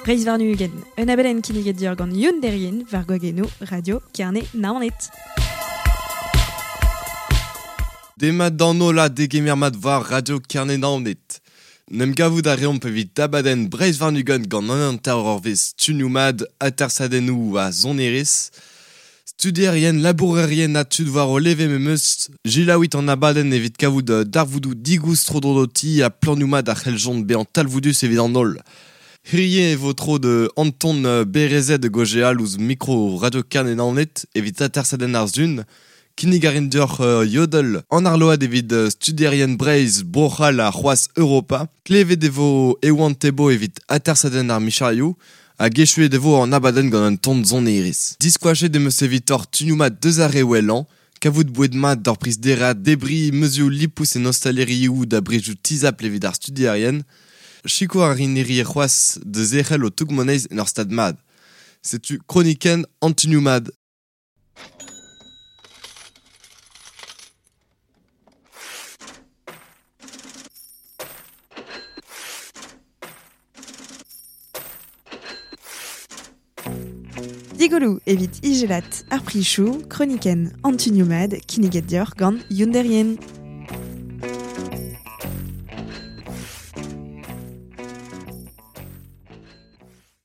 Breizh warn-ugent, un abadenn kinniget deoc'h gant Youn Derrien war gwagennoù Radio Kerne Naoned. Demat d'an holl ha degemer mat war Radio Kerne Naoned. N'em gavout a reomp evit abadenn Breizh warn-ugent gant an hanter eurvezh stumioù mat, atersadennoù ha sonerezh. Studierien, labourerien ha tud war o leve memes, selaouit an abadenn evit kavout darvoudoù digoust tro-dro d'ho ti ha planioù mat a c'helljont bezañ talvoudus evit an holl. Hirie e vo tro da Anton Berezet da gaozeal ouzh mikro Radio Kerne Naoned evit atersadenn ar Sun. Kinnig a rin deoc'h Yodel an arload evit studierien Breizh, Bro-C'hall ha c'hoazh Europa. Klevet e vo Ewan Thébault evit atersadenn ar micherioù hag echuet e vo an abadenn gant un ton sonerezh. Diskoachet em eus evitoc'h tunioù mat deus ar re wellañ, kavout boued mat d'ur priz dereat, debriñ meuzioù lipous en ostalerioù da brezioù tizhapl evit ar studierien. Sikour a rin hirie c'hoazh da zerc'hel ho toug-moneiz en ur stad mat. Setu kronikenn an tunioù mat. Digoloù evit ijelat ar prichoù, kronikenn an tunioù mat kinniget deoc'h gant Youn Derrien.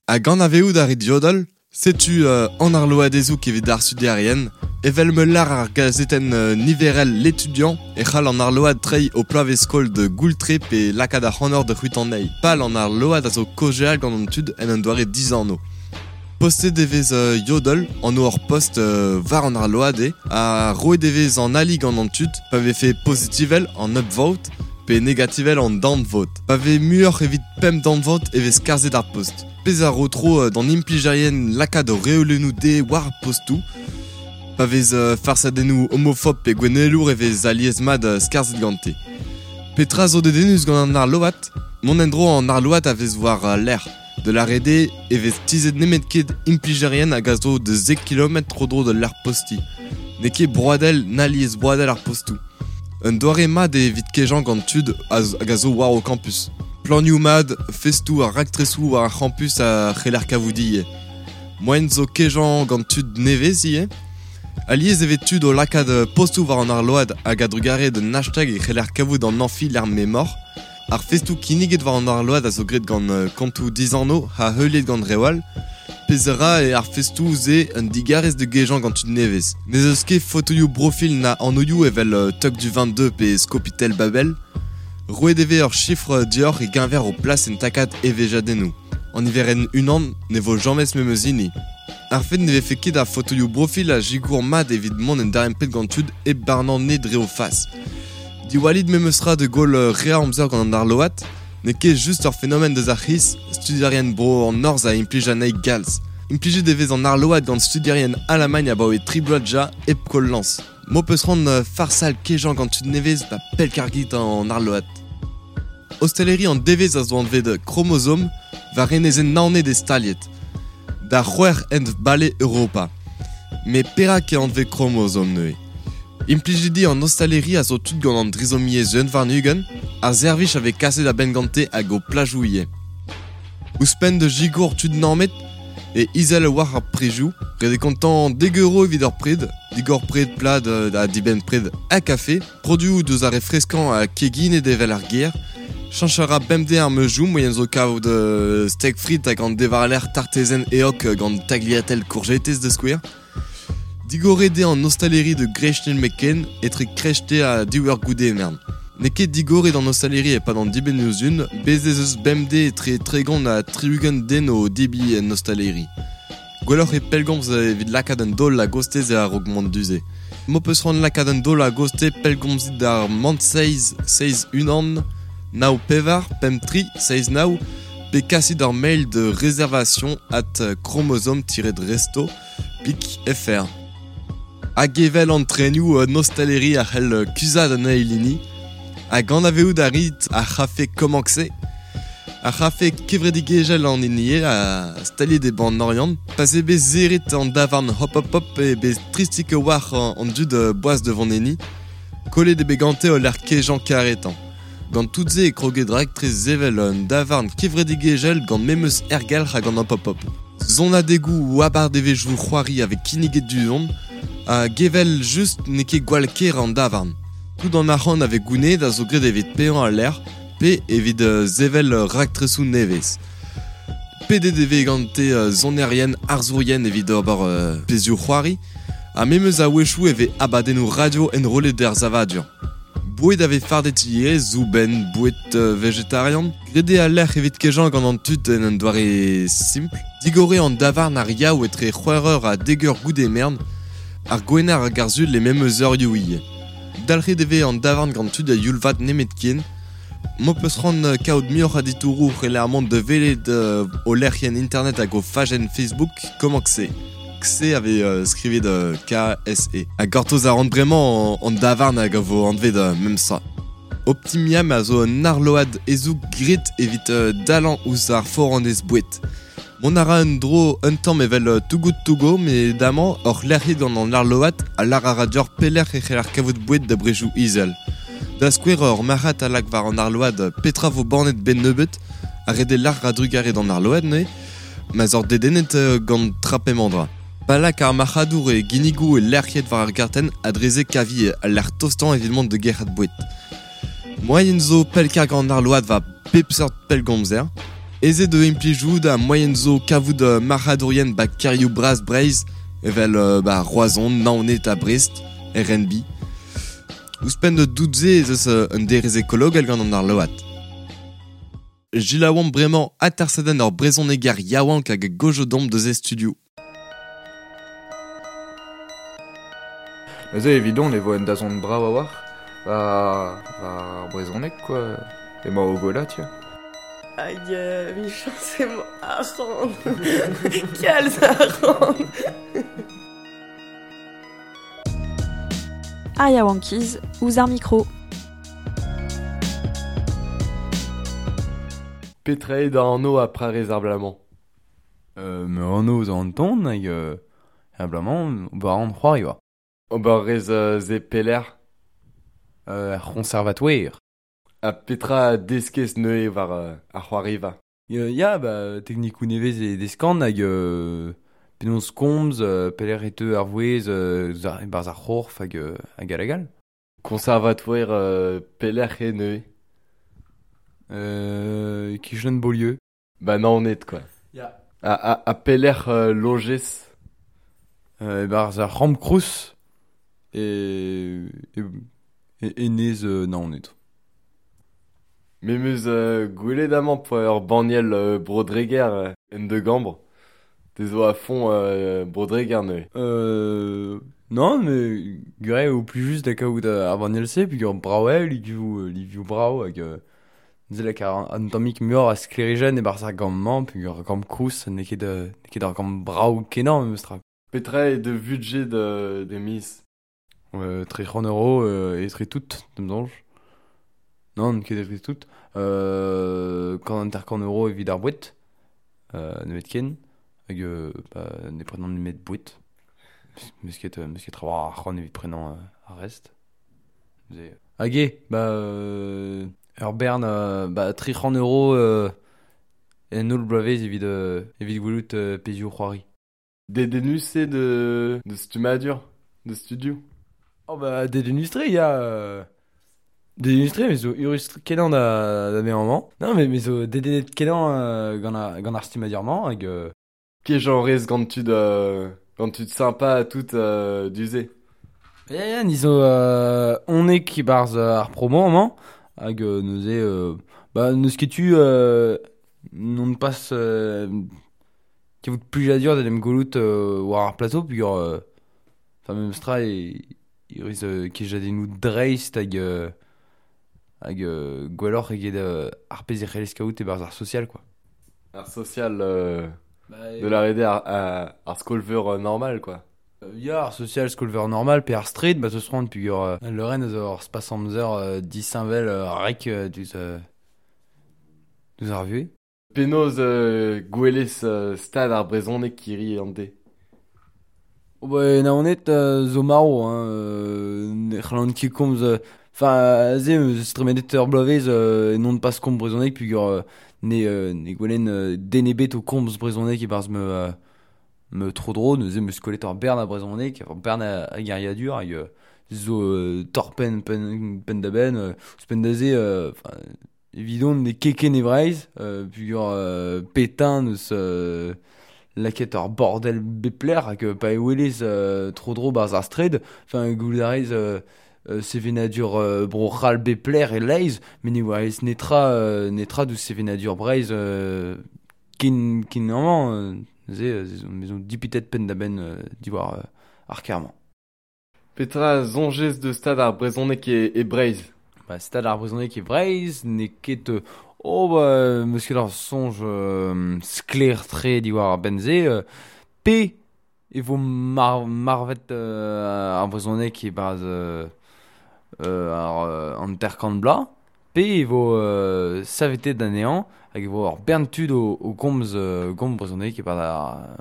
Hag anavezout a rit Yodel? Setu an arloadezoù evit ar studierien. Evel ma lâr ar gazetenn niverel L'Étudiant e c'hall an arload treiñ ho ploavezh-skol da goultre pe lakaat ac'hanoc'h da c'hwitañ anezhi. Pal an arload a zo kaozeal gant an tud en un doare dizanv. Postet e vez Yodel, anv ur post war an arload eo, ha roet e vez an ali gant an tud pa vefe pozitivel an upvote pe negativel an downvote. Pa vez muioc'h evit pemp downvote e vez skarzhet ar post. Pezh a ro tro d'an implijerien lakaat o reolennoù dezhe war ar postoù. Pa vez farsadennoù homofob pe gouennelour e vez alies-mat skarzhet gante. Petra zo dedennus gant an arload? Mont en-dro an arload a vez war lec'h. Da lâret eo e vez tizhet nemet ket implijerien hag a zo da zek kilometr tro-dro d'ul lec'h postiñ. N'eo ket broadel na liesbroadel ar postoù. Un doare mat eo evit kejañ gant tud hag a zo war ho kampus. Planioù mat, festoù ha raktresoù war ar c'hampus a c'heller kavout ivez. Moaien zo kejañ gant tud nevez ivez. Alies e vez tud o lakaat postoù war an arload hag a-drugarez d'un hashtag e c'heller kavout an añfi lec'h m'emaoc'h. Ar festoù kinniget war an arload a zo graet gant kontoù dizanv ha heuliet gant reoù all. Pezh a ra eo ar festoù-se un digarez da gejañ gant tud nevez. N'ez eus ket fotoioù profil na anvioù evel Tog du 22 pe Skopitel Babel. Roet e vez ur chifr deoc'h e-keñver ho plas en takad evezhiadennoù. An niverenn unan ne vo james memes hini. Ar fed ne vefe ket a fotoioù profil a sikour mat evit mont en darempred gant tud hep barnañ nez dre o fas. Diwallit memes tra da goll re a amzer gant an arload, n'eo ket just ur fenomen deus ar c'hiz, studierien bro an Norzh a implij anezhi galz. Implijet e vez an arload gant studierien Alamagn abaoe tri bloaz dija hep koll lañs. M'ho peus c'hoant farsal kejañ gant tud nevez ba pellkargit an arload. Ostaleri an devezh a zo anvet Chromosome war enezenn Naoned e staliet. Da c'hwec'h hent bale Europa. Met perak eo anvet Chromosome neuze? Implijidi an ostaleri a zo tud gant an drizomiezh unwarn-ugent, ar servij a vez kaset a-benn gante hag o plajoù ivez. Ouzhpenn da sikour tud nammet e izel a-walc'h ar prizioù, ret eo kontañ dek euro evit ur pred, digor pred plat ha dibenn pred ha kafe, produoù deus ar re freskañ ha keginet evel ar gêr. Cheñch a ra bemdez ar meuzioù, moaien zo kavout steak frit hag an devarlec'h tartezenn eok gant tagliatell kourjetez da skouer. Digoret eo an ostaleri da Grestenn McCain etre kreiste ha div eur goude mern. N'eo ket digoret an ostaleri e-pad an dibennoù-sizhun, bez' ez eus bemdez etre 30 ha 60 den o debriñ en ostaleri. Gwelloc'h eo pellgomz evit lakaat un daol a-gostez a-raok mont du-se. M'ho peus c'hoant lakaat un daol a-gostez, pellgomzit d'ar mant 7 7 1 9 4 5 3 7 9 pe kasit ur mail de réservation at chromosome-resto Pik FR. Hag evel an trenioù un ostaleri a c'hell kuzhat an eil hini. Hag anavezout a rit ar c'hafe Komankse? Ar c'hafe kevredigezhel an hini eo a staliet e bann Oriant. Pa 'z eo bet serret an davarn Hop Hop Hop eo bet tristik a-walc'h an dud boas da vont enni. Kollet eo bet gante o lec'h kejañ karetañ. Gant tout se e kroget raktres sevel un davarn kevredigezhel gant memes ergelc'h hag an pop-up. Zonadegoù ou abardevezhioù c'hoari avec kinniget du-hont, ha gevel just n'eo ket gwall ker an davarn. Tout an arc'hant ave gouned a zo graet evit paeañ al lec'h, pe evit sevel raktresoù nevez. Pedet e vez gante sonerien, arzourien evit ober pezhioù c'hoari, ha memes a-wechoù e vez abadennoù radio enrollet er savadur. Boued a vez fardet ivez, soubenn, boued vegetarian. Graet eo al lec'h evit kejañ gant an tud en un doare simpl. Digor eo an davarn ar yaou etre c'hwec'h eur ha dek eur goude mern, ar gwener hag ar sul e memes eurioù ivez. Dalc'het e vez an davarn gant tud a youl vat nemetken. M'ho peus c'hoant kaout muioc'h a ditouroù c'heller mont da welet o lec'hienn internet hag o fajenn Facebook Komañ-se. Kse a vez skrivet K-S-E. Ha gortoz a ran bremañ an davarn hag a vo anvet memes tra. Optimiam a zo un arload hezoug graet evit dalañ ouzh ar foranez boued. Mont a ra un dro un tamm evel Too Good To Go, met damañ oc'h lec'hiet gant an arload a lâr a ra deoc'h pelec'h e c'heller kavout boued da brezhioù izel. Da skouer ur marc'had a lak war an arload petra vo bannet 'benn nebeut, ha ret eo lâr a-drugarez d'an arload neuze, ma'z oc'h dedennet gant tra p'emañ dra. Pa lak ar marc'hadour e ginnigoù e lec'hiet war ar gartenn ha dre-se kavi al lec'h tostañ evit mont da gerc'hat boued. Moaien zo pellkargañ an arload war pep seurt pellgomzer. Aezet eo implijout ha moaien zo kavout marc'hadourien ba kêrioù bras Breizh evel ba Roazhon, Naoned ha Brest, RNB. Ouzhpenn da dout-se ez eus un derez ekologel gant an arload. Selaouomp bremañ atersadenn ur brezhoneger yaouank hag a gaozo deomp deus e studioù. Neuze evidon e vo un dazont brav a-walc'h war ar brezhoneg quoi. Emañ o gwellañ tiens. Hag emichañs emañ arc'hant. Kalz arc'hant. Ar yaouankiz ouzh ar mikro. Petra eo da anv ha prarez ar bloaz-mañ? Ma anv zo Anton hag ar bloaz-mañ ober a ran c'hoari oa. Ober rez se pelec'h? Er c'hoñservatoer. Ha petra a deskez neuze war ar c'hoariva? Ya, ba teknikoù nevez e deskan hag penaos komz, pelec'h e teu ar vouezh e-barzh ar c'horf hag hag all hag all. Koñservatoer pelec'h eo neuze? E-kichen Beaulieu. Ba Naoned quoi. Ya. Ha pelec'h lojez? E-barzh ar C'hamp-Krous e enez Naoned. Me 'm eus gwelet amañ poa ur banniel Bro-Dreger en da gambr. Te zo a-font Bro-Dreger neuze. Non, mais gwir eo plijus da kaout ar banniel-se peogwir brav eo, livioù brav hag neuze lak an tammig muioc'h a sklêrijenn e-barzh ar gambr-mañ peogwir ar gambr koulz n'eo ket ur gambr brav-kenañ memestra. Petra eo da vudjed da miz? 300 euros etre tout, da'm soñj. Nann, ket etre tout. 40 euros evit ar boued, nemetken. Hag ba, ne prenan nemet boued. Meus ket trawalc'h arc'hant evit prenañ ar rest. Hag eo, ba ur bern ba 300 euros en holl bloavezh evit evit gwelout pezhioù c'hoari. Dedennus eo de stummadur, de studioù? Oh ba dedennus-tre ya. Dedennus-tre, me zo eurus-kenañ da vezañ amañ. Non, mais me zo dedennet-kenañ gant ar stummadur-mañ hag Kejañ rez gant tud sympa tout du-se. Ya, ya, ni zo honek e-barzh ar promo amañ hag neuze ba n'eus ket tu non pas kavout plijadur d'en em gwelout war ar plateau peogwir enfin memestra e rez kejadennoù dreist hag hag gwelloc'h eget ar pezh e c'hellez kaout e-barzh ar social quoi. Ar social de la RD ar skol-veur normal quoi. Ya, ar social skol-veur normal pe ar street, ba teus c'hoant peogwir al leurenn a zo ur spas amzer disheñvel rek diouzh ar vuhez. Penaos gwelez stad ar brezhoneg hiriv an deiz? Oh ba Naoned zo marv hein, ne c'hallan ket komz. Enfin, ze eus tremenet ur bloavezh non pas komz brezhoneg pugur ne gwelen denebet o komz brezhoneg e-barzh me tro-dro, neuze meus kollet ur bern a brezhoneg, ur bern a geriadur hag zo torpen pen da ben, ouzhpenn da se, enfin, evidon ne keken e Breizh, pugur Pétain eus laket ur bordel bepler hag pa e welez tro-dro barzh ar straed, enfin, goulout a rez sevenadur bro-c'hall bepler e leiz, met ne oa ez netra deus sevenadur Breizh ken amañ, neuze me zo dipitet penn da benn diwar ar ker-mañ. Petra soñjez deus stad ar brezhoneg e Breizh? Ba, stad ar brezhoneg e Breizh n'eo ket oh ba meus ket ar soñj sklaer-tre diwar ar benn-se, pe e vo marvet ar brezhoneg e-barzh ar an terkant bloaz, pe e vo savetet anezhañ hag e vo ur bern tud o komz gomz brezhoneg e-barzh ar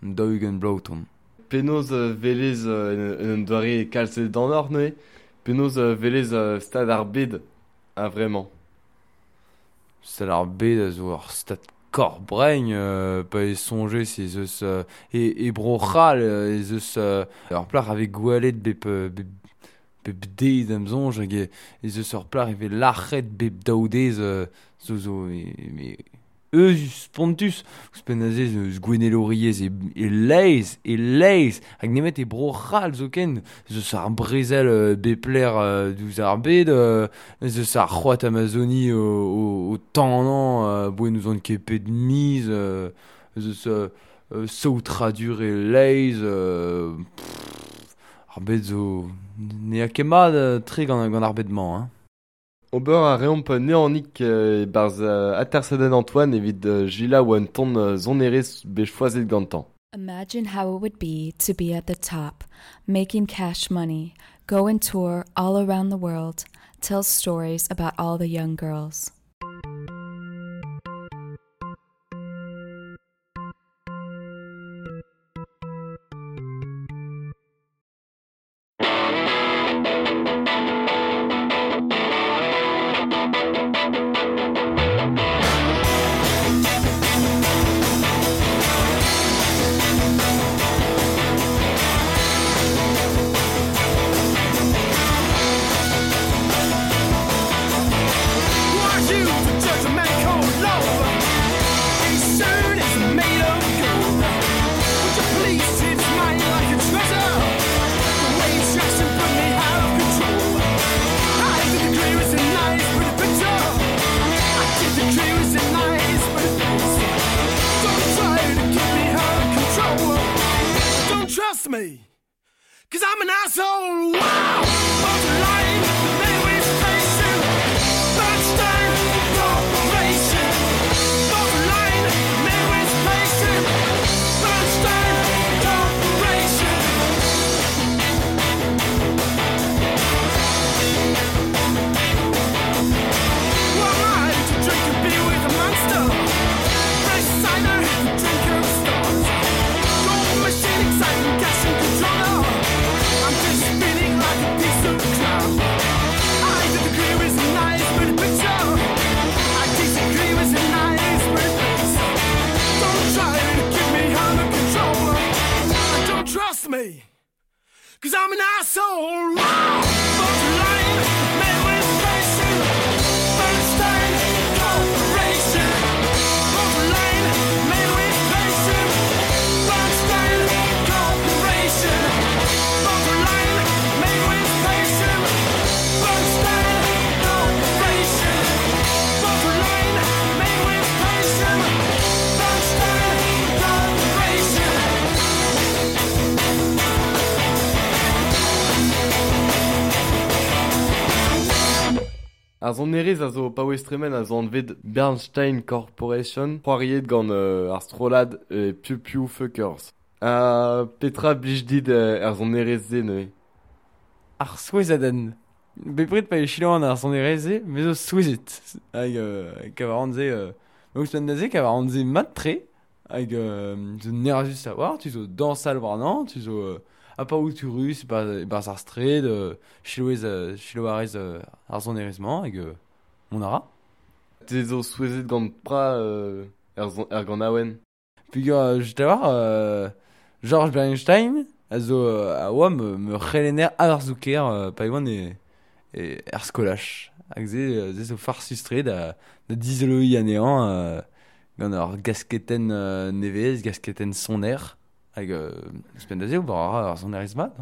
40 bloaz o tont. Penaos velez en un doare kalz d'an neuze? Penaos velez stad ar bed a vremañ? Stad ar bed a zo ur stad korbregn, pa e soñjez ez eus e Bro-C'hall ez eus ur plac'h a vez gwelet bep deiz da'm soñj hag ez eus ur plac'h e vez lac'het bep daou deiz zo mais eus spontus ouzhpenn aze eus gouennelouriezh e leiz hag nemet e Bro-C'hall zoken ez eus ar brezel bepler diouzh ar bed ez eus ar c'hoad Amazoni o tanañ boe n'ouzon ket pet miz ez eus saotradur e leiz ar bed zo ne a ket mat tre gant ar bed-mañ hein. Ober a reomp neanik e-barzh atersadenn Antoine evit Gila oa un ton sonerezh bet choazet gantañ. Imagine how it would be to be at the top, making cash money, go and tour all around the world, tell stories about all the young girls. Me, 'cause I'm an asshole. Wow! Borderline, Midway Station, Bernstein Corporation. Borderline, Midway Station, Bernstein Corporation. Who am I to drink a beer with a monster? Fresh cider, the drinker of stars. Gold machine, exciting cash and controller. I'm just spinning like a piece of crap. I disagree with a nice pretty picture. I disagree with a nice pretty face. Don't try to keep me under control. Don't trust me, 'cause I'm an asshole. Wow! Borderline, Midway Station, Bernstein Corporation. Borderline, Midway Station, Bernstein Corporation. Borderline, Midway Station, Bernstein Corporation. Borderline, Midway Station, Bernstein Corporation. Ar sonerezh a zo paouez tremen a zo anvet Bernstein Corporation, c'hoariet gant ar strollad Pew Pew Fuckers. Petra blij dit ar sonerezh-se neuze? Ar souezhadenn. Bepred pa e chilañ ar sonerezh-se, me zo souezhet. Hag kavaran se... ouzhpenn da se kavaran se mat-tre. Hag zo nerzus a-walc'h, tu zo dañsal warnañ, tu zo... a pa out rus, barz ar stred, chiloez, chiloarez ar sonerezh-mañ, hag mont a ra. Te zo souezhet gant pra er gant awen. Pugur, je war, Georges Bernstein, a zo a oa me c'helenner ar zouker, pa oan e er skolaj. Hag ze zo farsus-tre da dizoloi anezhañ gant ar gasketen nevez, gasketen soner, hag ouzhpenn da se ober a ra ar sonerezh mat.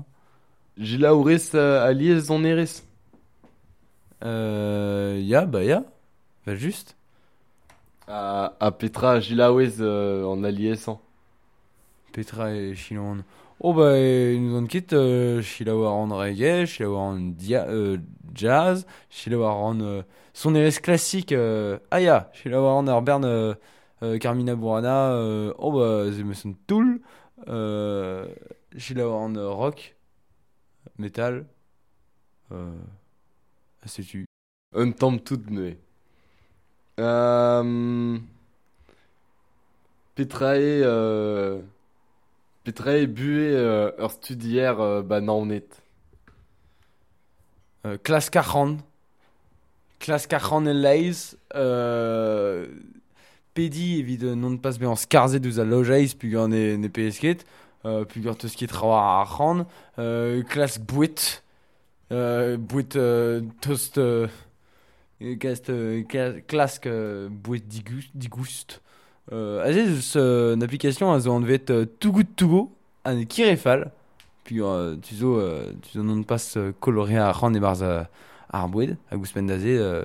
Gilaourez alies sonerezh? Ya, bah ya, va just. A Petra gilaouez an aliesañ? Petra e Chilon. Oh bah nous on ket chilaou ar an reggae, chilaou ar an jazz, chilaou ar an sonerezh classique, ah ya, chilaou ar an ar bern Carmina Burana, oh bah ze me son toul, chilaou ar an rock, metal, setu. Un tamm tout neuze. Petra eo buhe ur studier ba Naoned? Klask arc'hant. Klask arc'hant e-leizh. Pedi evit non pas bezañ skarzhet ouzh al lojeiz pugur ne paeez ket. Pugur teus ket trawalc'h arc'hant. Klask boued. Boued tost... klask boued digoust. Aze eus un application a zo anvet Too Good To Go, an kirefal. Pugur tu zo non pas kolore ar c'hant e-barzh ar boued, hag ouzhpenn da se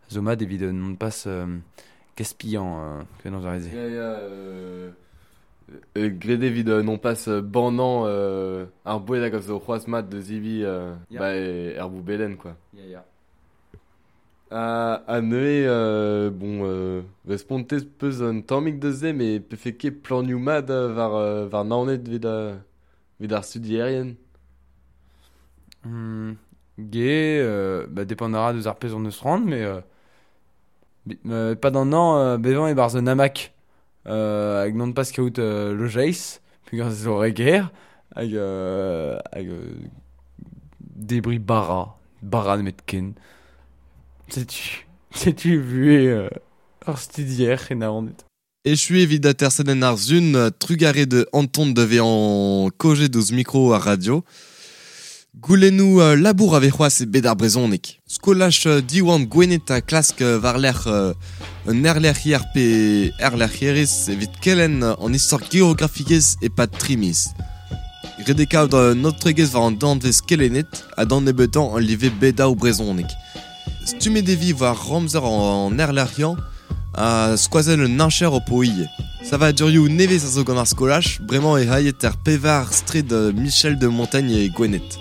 zo mat evit non pas gaspillan penaos ar re-se. Ya, ya, graet evit non pas bannañ ar boued hag a zo c'hoazh mat da zebriñ ba er boubellenn, quoi. Ya, ya. A neuze, bon, respontez peus un tammig da se, met pefe ket planioù mat war Naoned evit ar studierien? Ge, bah depend a ra deus ar pezh on eus c'hoant, mais pas d'an an, bevañ e-barzh un hamac, hag non pas kaout lojeiz, pugur zo re ger, hag debriñ bara nemet ken. Setu vu ur studier e Naoned. Echu evit atersadenn ar zun, trugare de Anton de vezañ kojet ouzh mikro ar radio. Goulennoù labour a vez c'hoazh e bed ar brezhoneg. Skolaj Diwan Gwened a klask war-lerc'h un erlec'hier pe erlec'hierez evit kelenn an istor geografiezh e-pad tri miz. Ret eo kaout un aotregezh war an danvez kelennet ha d'an nebeutañ an live bedaou brezhoneg. Stummet e vi war ramzer an erlec'hiañ a skoazell un heñcher o po ivez. Savadurioù nevez a zo gant ar skolaj, bremañ e hailhet er pevar straed Michel de Montaigne e Gwened.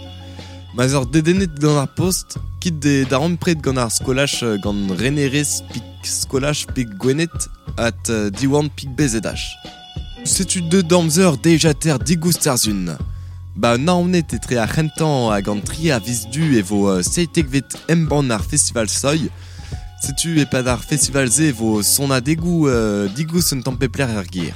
Ma 'z eur dedennet gant ar post, kit de darempred gant ar skolaj gant renerez pik skolaj pik Gwened at diwan pik BZH. Setu deux damzer dejater digoust ar zun. Ba Naoned etre ar c'hentañ hag an tri a viz du e vo seitekvet embann ar festival Soy. Setu e-pad ar festival-se e vo sonadegoù digoust un tamm pep lec'h er gêr.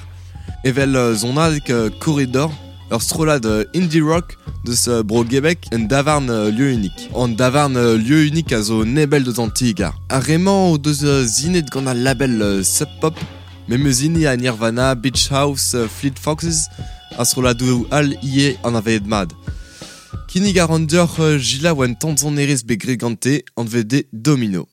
Evel sonadeg Corridor, ur strollad indie rock deus bro Gebek en davarn lieu unique. An davarn lieu unique a zo nebel deus an ti-gar. Ar re-mañ o deus zinet gant al label Sub Pop, memes hini a Nirvana, Beach House, Fleet Foxes, a strolladoù all ivez anavezet mat. Kinnig a ran deoc'h Gila oa un tamm sonerezh bet graet gante, anvet eo Domino.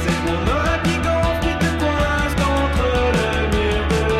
C'est mon oreille qui gonfle qui te coince contre le mur de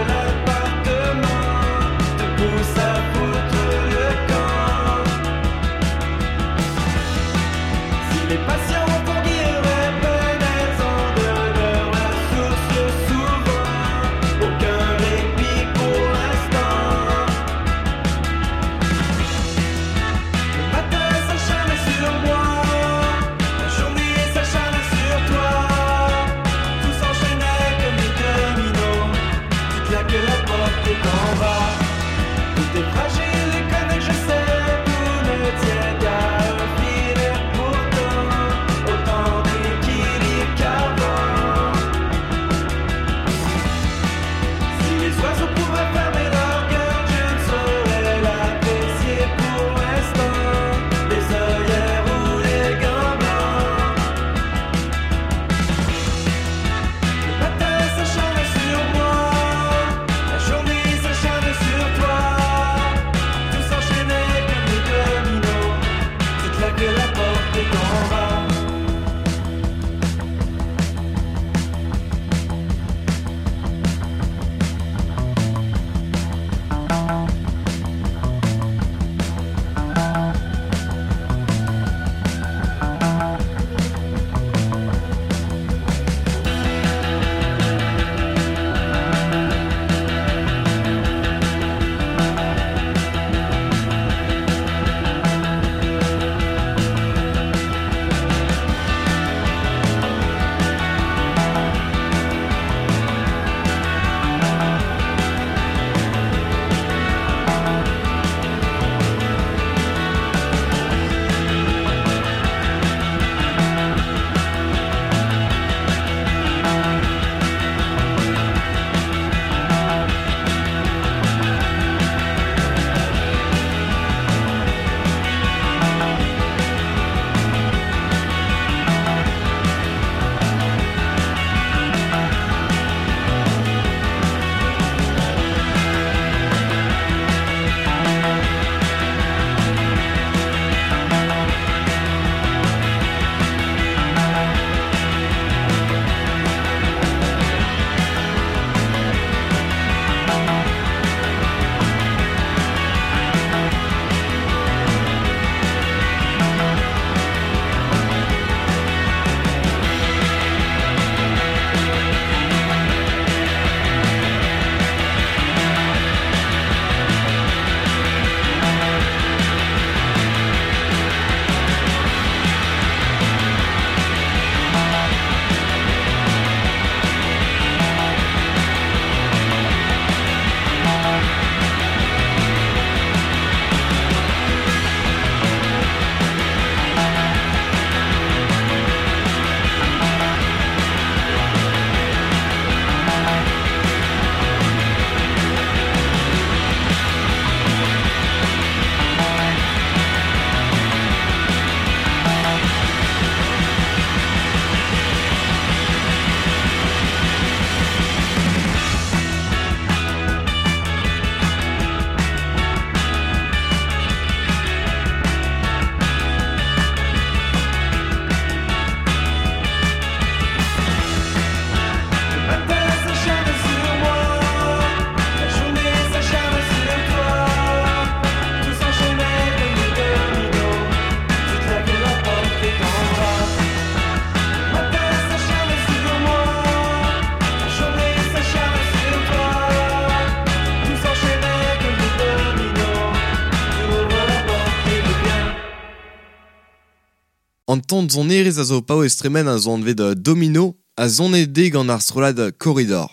An ton zonerez a zo paouez tremen a zo anvet Domino a zone de gant ar strollad Corridor.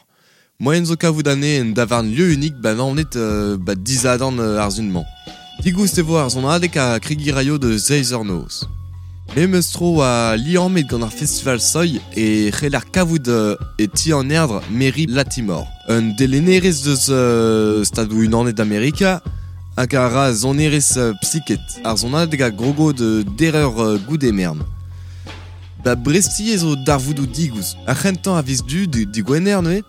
Moyen zo kavout ane en davarn lieu unique ba naonet ba dizadan ar zunman. Digoust e vo ar zonadek a krigiraio de zeiz ur noz. Memes tro a liammet gant ar festival Soy e c'heller kavout e ti an erdre Mary Latimore. Un delenerez deus stadou unanet d'Amerika hag a ra zonerez psyket. Ar zonadek a grogo de dereur goude mern. Ba Bresti zo darvoudou digouz. Ar c'hentañ a viz du di gwener neuze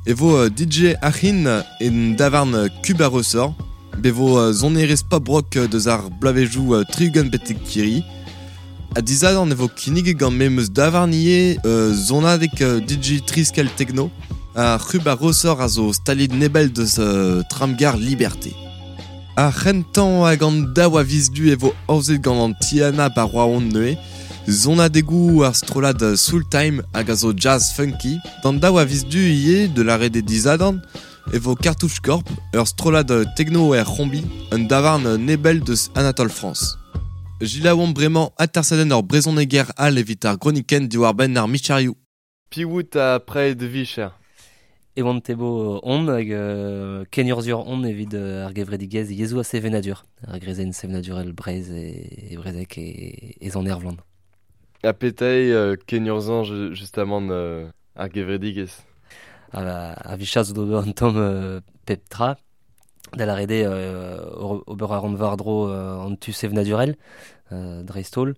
e vo DJ Achin en davarn Cuba Ressort. Be vo zonerez pop rock deus ar blavejou triugan betek kiri. A dizadan e vo kinnig gant memeus davarn ie zonadek DJ Triskel Techno a Cuba Ressort a zo stalid nebel deus tramgar Liberté. Ar c'hentañ hag an daou a viz du e vo aozet gant an Tiana ba Rouen neuze, zonadegou ar strollad Soul Time hag a zo jazz funky. D'an daou a viz du ivez de l'arrêt des dizadan e vo Cartouche Corp, ur strollad techno er c'hombi, un davarn nebel deus Anatole France. Gilaouan bremañ atersadenn ur brezhoneger all evit ar gronikenn diwar-benn ar micharioù. Piwout a prei de vicher. E oan tebo on hag ken urzhur on evit ar gevredigezh yezhoù a sevenadur. Ar grezenn sevenadurel Breizh e brezek e zon Ervland. A petei ken urzhan justamant ar gevredigezh. A vichaz d'ober an tamm pep tra. Da la rede ober ar an war-dro an tu sevenadurel, dreist-holl.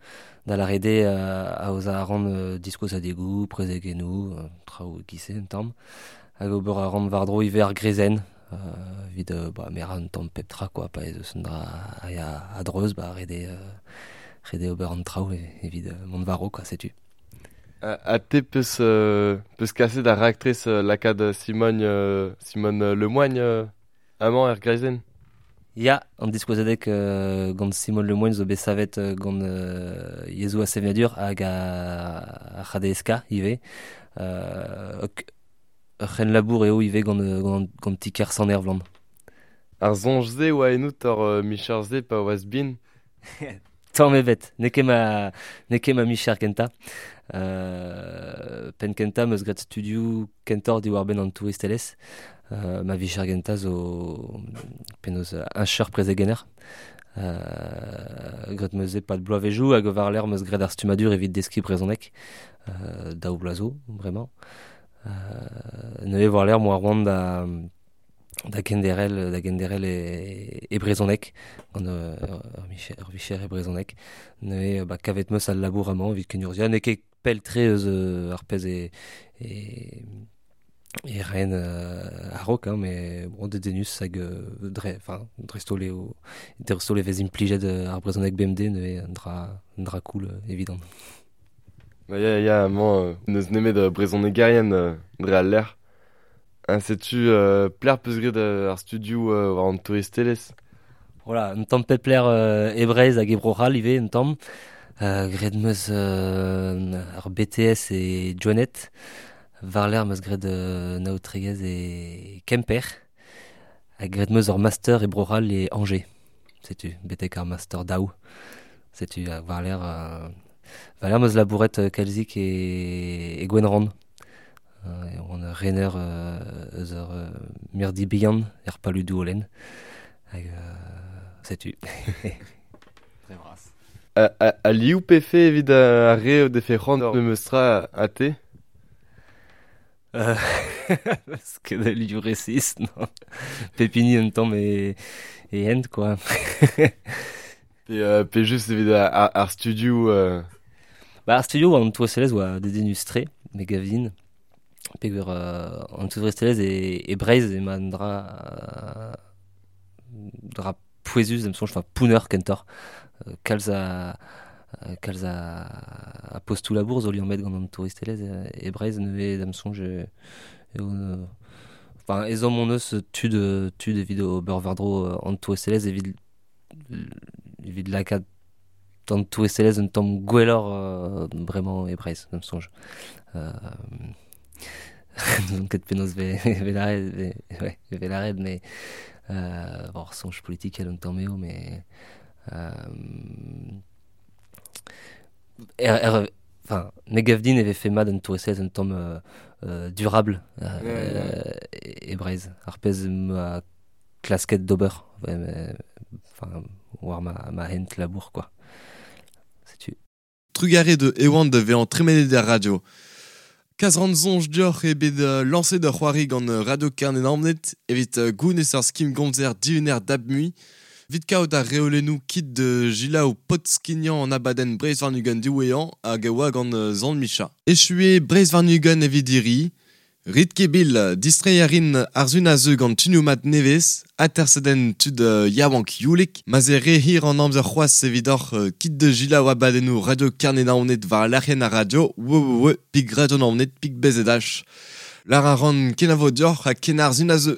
Da la rede aoza ar an diskoz a degou, prezegennoù, traoù gise un tamm. Hag ober ar an war-dro ivez ar grezenn, evit ba, mera un tamm pep tra, quoi, pa ez eus un dra a ya a dreuz, ba, rede ober an traoù evit mont war-raok, quoi, setu. A te peus kaset ar raktres lakaat Simone Lemoigne amañ er greizenn? Ya, an diskouezadeg gant Simone Lemoigne zo bet savet gant yezhoù a sevenadur hag a c'hadeska ivez. Ur c'henlabour eo ivez gant tiker Sant Ervland. Ar soñj-se oa ennout ur micher-se pa oas bin? Tamm ebet, n'eo ket ma micher kentañ. Penn kentañ 'm eus graet studioù kentoc'h diwar-benn an touristelezh. Ma vicher gentañ zo penaos un cheur prezegenner. Graet 'm eus e-pad bloavezhioù hag war-lerc'h 'm eus graet ar stummadur evit deskiñ brezhoneg. Daou bloaz zo, bremañ. Neuze war-lerc'h 'moa c'hoant da genderel e brezhoneg, gant ur vicher e brezhoneg. Neuze ba, kavet 'm eus al labour amañ evit kenurzhiañ. N'eo ket pell-tre eus ar pezh e ren a-raok, hein, mais bon, dedennus hag dreist-holl eo, dreist-holl e vez implijet ar brezhoneg BMD, neuze un dra cool evidon. Ba, ya, ya, amañ n'eus nemet brezhonegerien dre al lec'h. Ha setu pler peus graet ar studioù war an touristelezh? Voilà, un tamm pep lec'h e Breizh hag e Bro-C'hall ivez, un tamm. Graet 'm eus ar BTS e Gwened. War-lerc'h 'm eus graet naotregezh e Kemper. Hag graet 'm eus ur master e Bro-C'hall e Angers. Setu, betek ar master daou. Setu, hag war-lerc'h 'm eus labouret kalzik e Gwenrann. E oan ur rener eus ur mirdi bihan er Paludou Olen. Hag setu. Très bras. A liou pefe evit ar re o defe c'hoant memes tra a te? Parce que da liou resis, non. Pepini un tamm e hent, quoi. Pe just evit ar studio... Ba, ar studio an touristelezh oa dedennus-tre, me gavin. Peogwir an touristelezh e Breizh ema un dra pouezus, em soñj, enfin pounner kentoc'h. Kalz a postoù labour zo liammet gant an touristelezh e Breizh neuze da'm soñj eo enfin ezhomm hon eus tud evit ober war-dro an touristelezh evit lakaat an touristelezh un tamm gwelloc'h bremañ e Breizh da'm soñj. N'on ket penaos ve lâret, mais bon, soñj politikel un tamm eo, mais Er, er, enfin, me gav din e vefe mat an touristelezh un tamm durable e Breizh. Ar pezh ma klasket d'ober. Enfin, war ma hent labour, quoi. Setu. Trugarez de Ewan de vezañ tremenet er radio. Kas ran soñj deoc'h eo bet lañset ur c'hoari gant Radio Kerne-Naoned evit gounez ar skim gomzer dihuner dap mui. Vit kaout ar reolennoù kit de Gilaou Potskignan an abadenn Breizh warn-ugent diwezhañ hag a oa gant Zan Micha. Echu eo Breizh warn-ugent evit hiriv. Rit ket bil, distreiñ a rin ar sun a zeu gant tunioù mat nevez, atersadenn tud yaouank youlek, ma'z eo re hir an amzer c'hoazh evidoc'h kit da selaou abadennoù Radio Kerne-Naoned war lec'hienn ar radio www.radionaoned.bzh. Lar a ran kenavo deoc'h ha ken ar sun a zeu.